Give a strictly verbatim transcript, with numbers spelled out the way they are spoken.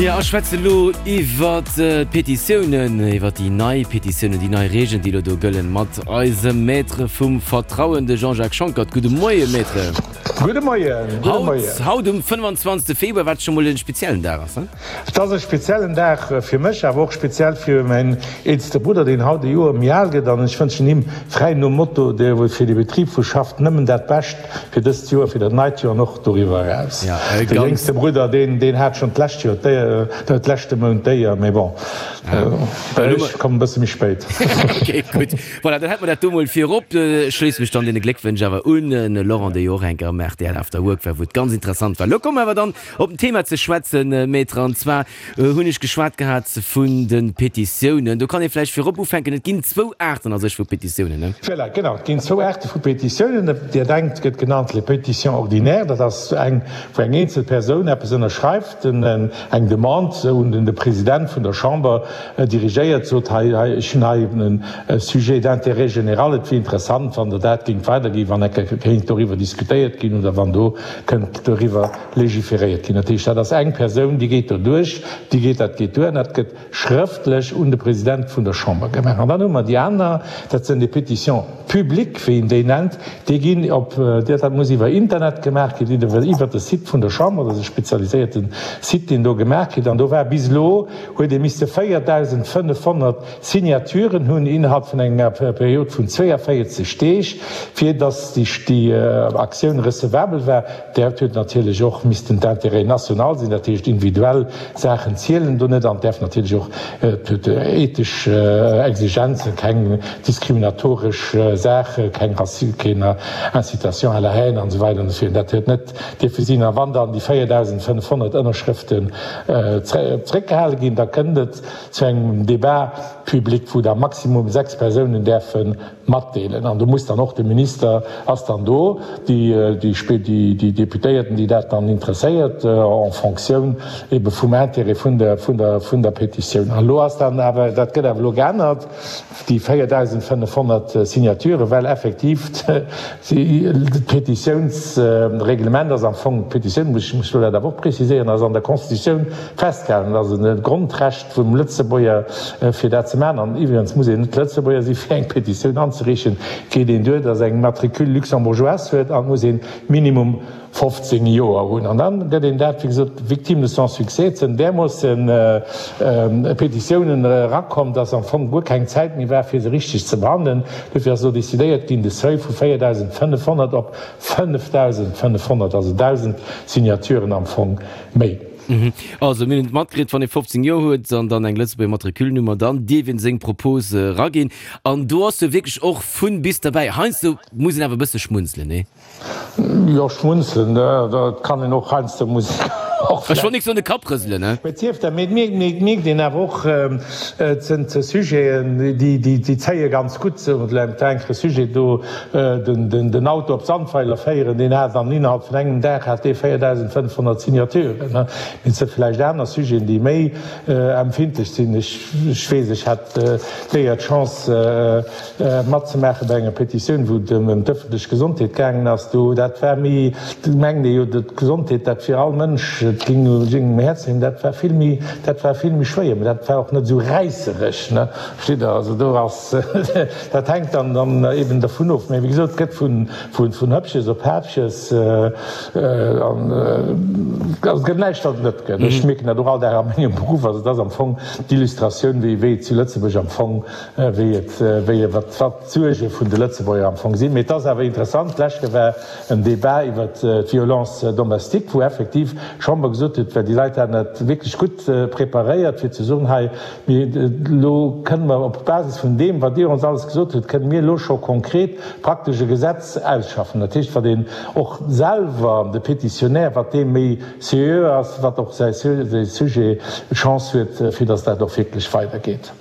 Ja, ech schwätze lo iwwer d'Petitiounen, iwwer déi nei Petitiounen, déi nei Regeln, déi lo do gëllen, mat eisem Maître vum Vertrauen, de Jean-Jacques Schonckert. Gudde Moie Maître. Gudde Moien, gudde Haut, Moien. haut um fënnefanzwanzegste Februar, wat scho mol e speziellen Dag ass, ne? Et ass e speziellen Dag fir mech, awer och speziell fir mäin eelste Brudder, deen haut e Joer méi al gëtt. An ech wënschen him, fräi nom Motto, dee fir de Betrib wou schafft, nëmmen dat Bescht fir dëst Joer, fir dat neit Joer an och doriwwer eraus. Ja, e De ganz. jéngste Brudder, deen, deen hat schonn d'lescht Joer d'Éier, dat leschte Mount d'Éier, mee bon, ech kommen e bësse méi spéit. Ok, gutt. Voilà, dann hätte mer dat do mol virop. Ech schléisse mech dann deene Gléckwënsch awer un, den Laurent, dee jo och eng Kéier am R T L After Work war, wou et ganz interessant war. Lo komme mer awer dann op den Thema ze schwätzen, Maître, an zwar hunn ech geschwat gehat vun de Petitiounen. Do kann ee vläicht virop ufänken, et ginn zwou Aarten a sech vu Petitiounen, ne? Voilà, genau, et ginn zwou Aarte vu Petitiounen. Déi eng gëtt genannt les pétitions ordinaires, dat ass eng, wou eng eenzel Persoun eppes ënnerschreift, eng Demande un de President vun der Chamber dirigéiert, sot, hei, hei, ech hunn hei e Sujet d'intérêt général, et wier interessant, wann Der dat géingt weiderginn, wann eng Kéier kéint doriwwer diskutéiert ginn oder wann do kënnt doriwwer legiferéiert ginn. Dat heescht, dat ass eng Persoun, déi geet do duerch, déi geet, dat geet duer an dat gëtt schrëftlech un de President vun der Chamber gemaach. An dann hu mer déi aner, dat sinn déi Pétitions publiques, wéi een déi nennt, déi ginn op, dat muss iwwer Internet gemaach ginn, iwwer de Site vun der Chamber, dat ass e spezialiséierte Site, deen do gemaach gëtt. An do war bis elo, huet ee misste véierdausendfënnefhonnert Signaturen hunn innerhalb vun enger Period vun zwéiavéierzeg Deeg, fir datt déi Aktioun recevabel war. Dat huet natierlech och missten d'intérêt national sinn, dat heescht individuell Saachen zielen do net an däerf natierlech och ethesch Exigenzen, keng diskriminatoresch Saache, keng Rassisme, keng Incitation à la haine an esou weider an esou virun. Dat huet net dierfe sinn. A wann dann déi véierdausendfënnefhonnert Ënnerschrëften zeréckgehale ginn, da kënnt et zu engem Débat public, wou da maximum sechs Persounen däerfe matdeelen. An do muss dann och de Minister ass dann do, déi déi déi Deputéierten, déi dat dann interesséiert, en Fonctioun ebe vum Intérêt vun der vun der vun der Petitioun. An elo ass dann awer, dat gëtt awer elo geännert, déi véierdausendfënnefhonnert Signaturen, well effektiv d'Petitiounsreglement ass am Fong, d'Petitioun, muss ech muss elo dat awer och preziséieren, ass an der Constitutioun festgehalen, ass e Grondrecht vum Lëtzebuerger fir dat ze maachen. An iwwregens muss een net Lëtzebuerger si fir eng Petitioun anzereechen, geet een duer, datt eng Matricule luxembourgeoise huet an muss een minimum fofzéng Joer hunn. An dann gëtt een dat, wéi gesot, victime de son succès. Et sinn därmoossen Petitiounen erakomm, datt am Fong guer keng Zäit méi war, fir se richteg ze behandelen. Dofir ass elo decidéiert ginn, de Seuil vu véierdausendfënnefhonnert op fënnefdausendfënnefhonnert, also dausend Signaturen am Fong méi. Also mir hunn et matkritt, wann ee fofzéng Joer huet an dann eng Lëtzebuerger Matriculnummer, dann dierf een seng Propose eraginn. An do ass jo wierklech och vun bis derbäi. Heiansdo muss een awer e bësse schmunzelen, nee? Jo, schmunzelen, dat kann een och heiansdo, muss een och Ech wollt nik soen de Kapp rëselen, ne? Mee et sief dann, mee et mierkt een awer och, et sinn Sujeten, déi zéie ganz gutt. Sou et war eng Kéier e Sujet do, den Auto op Sandweiler féieren, deen hat an innerhalb vun engem Dag hat dee véierdausendfënnefhonnert Signaturen. Mee et si vläicht aner Sujeten, déi méi empfindlech sinn. Ech weess, ech hat d'Éier, d'Chance matzemaache bei enger Petitioun, wou et ëm d'ëffentlech Gesondheet gaangen ass. Do, dat war méi, do mengt ee jo, d'Gesondheet, dat fir all Mënsch, et géing um Häerz leeën. Dat war vill méi, dat war vill méi schwéier, mä dat war och net esou räisserech, ne, versteet Der? Also do ass, dat hänkt dann dann eben dervun of. Mä wéi gesot, et gëtt vun, vun Hëppches op Häppches an, also et gëtt näischt, wat et net gëtt. Ech mierken dat och all Dag a mengem Beruff. Also et ass am Fong d'Illustratioun, wéi, wéi et zu Lëtzebuerg am Fong, wéi et, wéi, wat, wat d'Suerge vun de Lëtzebuerger am Fong sinn. Mee et ass awer interessant, d'lescht Kéier war en Débat iwwert d'Violence domestique, wou effektiv d'Chamber gesot huet, well déi Leit haten dat wierklech gutt preparéiert, fir ze soen, hei, mir, elo kënne mer op Basis vun deem, wat Dir ons alles gesot hutt, kënne mir elo scho konkret praktesch e Gesetz ausschaffen. Dat heescht, wat een och selwer, de Pétitionnaire, wat dee méi seriö ass, wat och säi Sujet Chance huet, fir datt dat och wierklech weidergeet.